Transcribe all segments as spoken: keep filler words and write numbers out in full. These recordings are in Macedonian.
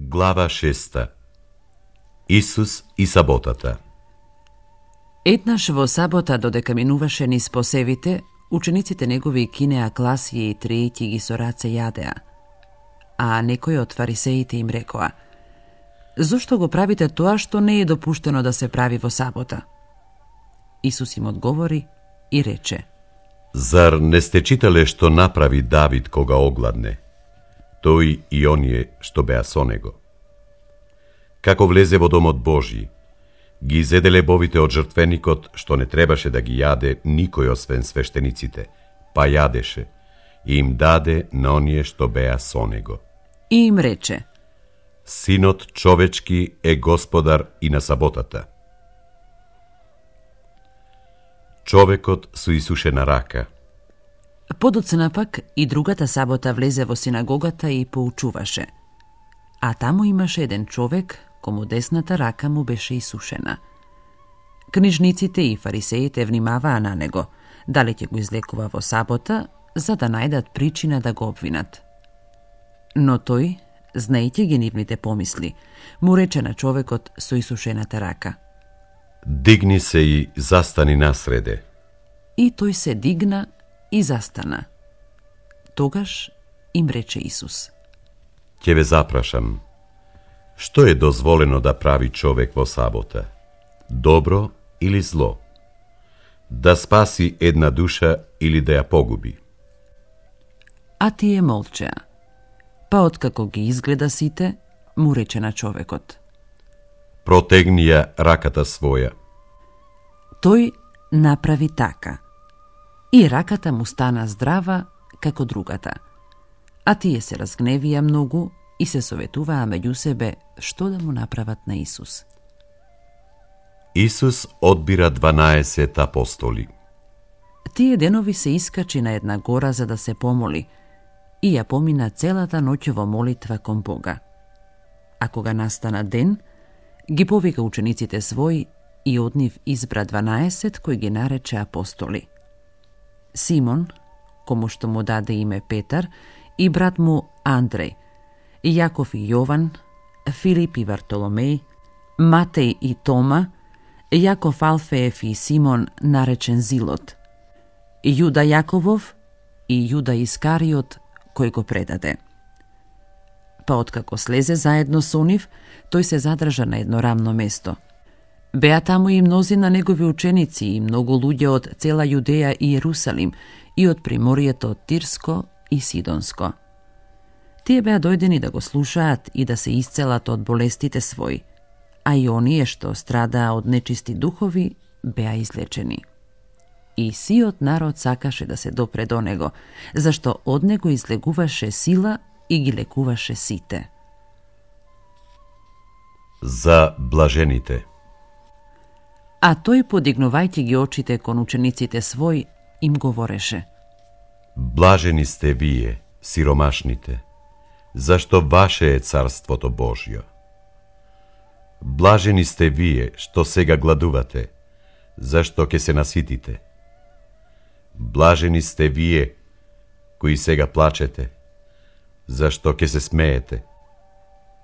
Глава шеста. Исус и саботата. Еднаш во сабота, додека минуваше низ посевите, учениците негови кинеа класија и триејќи ги со раце јадеа. А некој од фарисеите им рекоа: "Зошто го правите тоа што не е допуштено да се прави во сабота?" Исус им одговори и рече: Зар не сте читале што направи Давид кога огладне? Тој и оние што беа со него. Како влезе во домот Божи, ги изеде лебовите од жртвеникот, што не требаше да ги јаде никој освен свештениците, па јадеше и им даде на оние што беа со него. И им рече: Синот човечки е господар и на саботата. Човекот со исушена рака. Подоцна пак и другата сабота влезе во синагогата и поучуваше. А таму имаше еден човек, кому десната рака му беше исушена. Книжниците и фарисеите внимаваа на него, дали ќе го излекува во сабота, за да најдат причина да го обвинат. Но тој, знаејќи ги нивните помисли, му рече на човекот со исушената рака: Дигни се и застани насреде. И тој се дигна и застана. Тогаш им рече Исус: Ќе ве запрашам, што е дозволено да прави човек во сабота? Добро или зло? Да спаси една душа или да ја погуби? А тие молчеа. Па откако ги изгледа сите, му рече на човекот: Протегни ја раката своја. Тој направи така. И раката му стана здрава како другата. А тие се разгневија многу и се советуваа меѓу себе што да му направат на Исус. Исус одбира дванаесет апостоли. Тие денови се искачи на една гора за да се помоли и ја помина целата ноќ во молитва кон Бога. А кога настана ден, ги повика учениците своји и од нив избра дванаесет кои ги нарече апостоли: Симон, кому што му даде име Петар, и брат му Андреј, Јаков и Јован, Филип и Вартоломеј, Матеј и Тома, Јаков Алфеев и Симон наречен Зилот, Јуда Јаковов и Јуда Искариот кој го предаде. Па откако слезе заедно со нив, тој се задржа на едно рамно место. Беа таму и мнозина негови ученици и многу луѓе од цела Јудеја и Јерусалим и од приморието од Тирско и Сидонско. Тие беа дојдени да го слушаат и да се исцелат од болестите своји, а и оние што страдаа од нечисти духови беа излечени. И сиот народ сакаше да се допре до него, зашто од него излегуваше сила и ги лекуваше сите. За блажените. А тој, подигнувајќи ги очите кон учениците свој, им говореше: Блажени сте вие, сиромашните, зашто ваше е царството Божјо. Блажени сте вие што сега гладувате, зашто ќе се наситите. Блажени сте вие кои сега плачете, зашто ќе се смеете.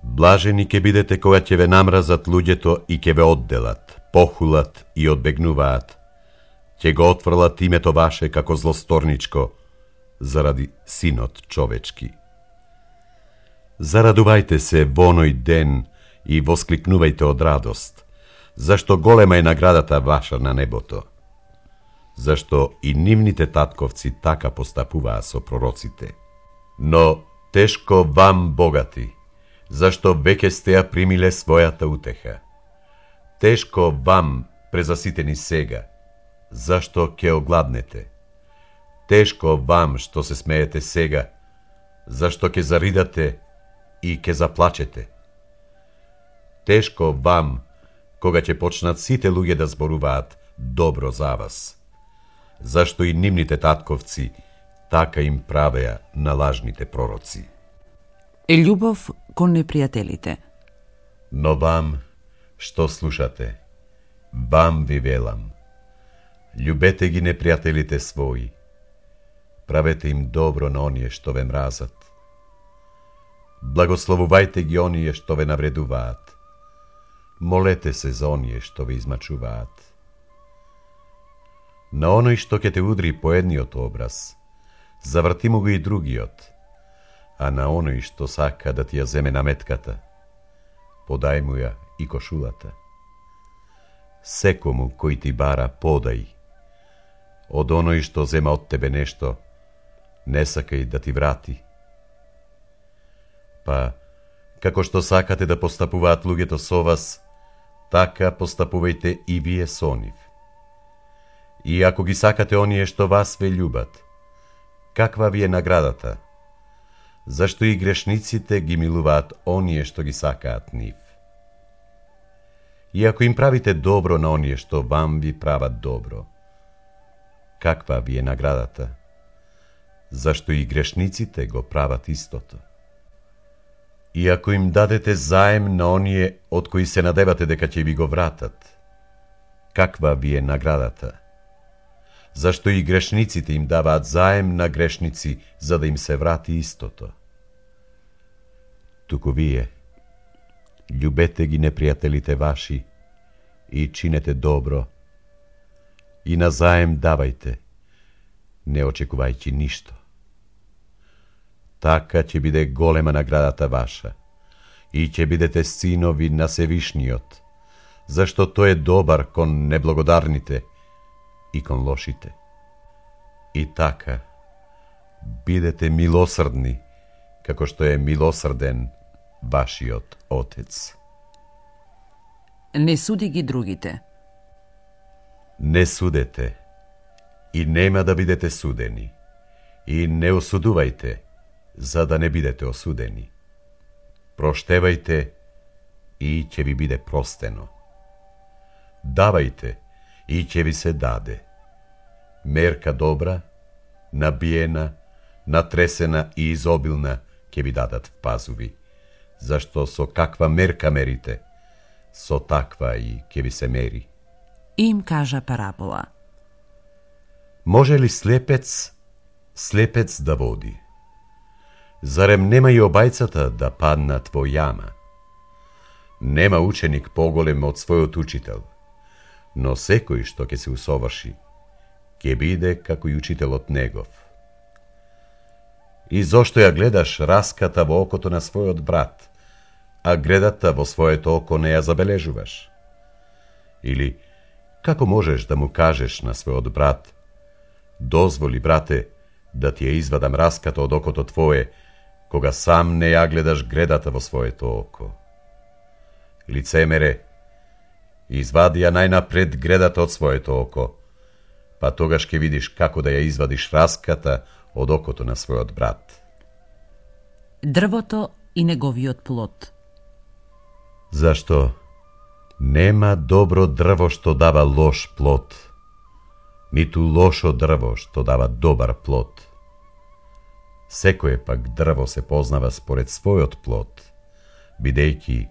Блажени ќе бидете кога ќе ве намразат луѓето и ќе ве одделат, похулат и одбегнуваат. Ќе го отфрлат името ваше како злосторничко заради Синот човечки. Зарадувајте се во оној ден и воскликнувајте од радост, зашто голема е наградата ваша на небото. Зашто и нивните татковци така постапуваа со пророците. Но тешко вам, богати, зашто веќе сте ја примиле својата утеха. Тешко вам, презаситени сега, зашто ќе огладнете. Тешко вам што се смеете сега, зашто ќе заридате и ќе заплачете. Тешко вам, кога ќе почнат сите луѓе да зборуваат добро за вас, зашто и нивните татковци така им правеа на лажните пророци. Е љубов кон непријателите. Но вам, што слушате, вам ви велам, љубете ги непријателите своји, правете им добро на оние што ве мразат. Благословувајте ги оние што ве навредуваат. Молете се за оние што ве измачуваат. На оној што ќе те удри по едниот образ, заврти му го и другиот, а на оној што сака да ти ја земе наметката, подај му ја и кошулата. Секому кој ти бара, подај. Од оној што зема од тебе нешто, не сакај да ти врати. Па, како што сакате да постапуваат луѓето со вас, така постапувајте и вие со нив. И ако ги сакате оние што вас ве љубат, каква ви е наградата? Зашто и грешниците ги милуваат оние што ги сакаат нив. И ако им правите добро на оние што вам ви прават добро, каква ви е наградата? Зашто и грешниците го прават истото. И ако им дадете заем на оние од кои се надевате дека ќе ви го вратат, каква ви е наградата? Зашто и грешниците им даваат заем на грешници, за да им се врати истото. Туку вие, љубете ги непријателите ваши и чинете добро, и на заем давајте, не очекувајќи ништо. Така ќе биде голема наградата ваша и ќе бидете синови на Севишниот, зашто тој е добар кон неблагодарните и кон лошите. И така, бидете милосрдни, како што е милосрден вашиот Отец. Не суди ги другите. Не судете, и нема да бидете судени, и не осудувајте, за да не бидете осудени. Проштевајте, и ќе ви биде простено. Давајте, и ќе ви се даде. Мерка добра, набиена, натресена и изобилна ќе ви дадат в пазуви, зашто со каква мерка мерите, со таква и ќе ви се мери. Им кажа парабола. Може ли слепец, слепец да води? Зарем нема и обајцата да паднат во јама? Нема ученик поголем од својот учител, но секој што ќе се усоврши, ќе биде како и учителот негов. И зошто ја гледаш раската во окото на својот брат, а гредата во своето око не ја забележуваш? Или, како можеш да му кажеш на својот брат: дозволи, брате, да ти ја извадам раската од окото твое, кога сам не ја гледаш гредата во своето око? Лицемере, извади ја најнапред гредата од своето око, па тогаш ќе видиш како да ја извадиш раската од окото на својот брат. Дрвото и неговиот плод. Зашто нема добро дрво што дава лош плод, ниту лошо дрво што дава добар плод. Секое пак дрво се познава според својот плод, бидејќи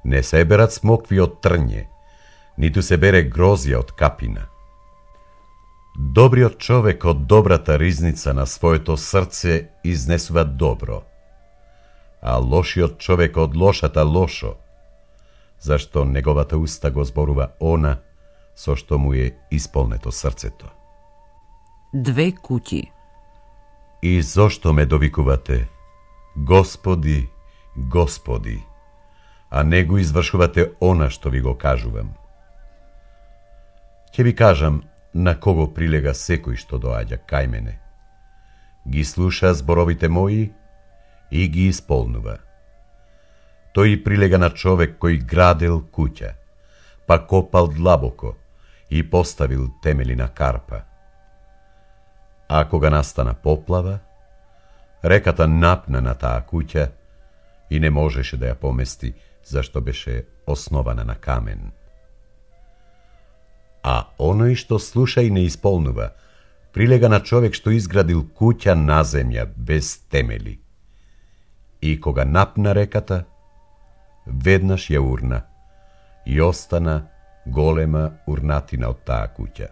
не се берат смокви од трње, ниту се бере грозија од капина. Добриот човек од добрата ризница на своето срце изнесува добро, а лошиот човек од лошата лошо, зашто неговата уста го зборува она со што му е исполнето срцето. Две куќи. И зошто ме довикувате: Господи, Господи, а не го извршувате она што ви го кажувам? Ќе ви кажам на кого прилега секој што доаѓа кај мене. Ги слуша зборовите мои и ги исполнува. Тој прилега на човек кој градел куќа, па копал длабоко и поставил темели на карпа. А кога настана поплава, реката напна на таа куќа и не можеше да ја помести, зашто беше основана на камен. А оној што слуша и не исполнува, прилега на човек што изградил куќа на земја без темели. И кога напна реката, веднаш ја урна и остана голема урнатина од таа куќа.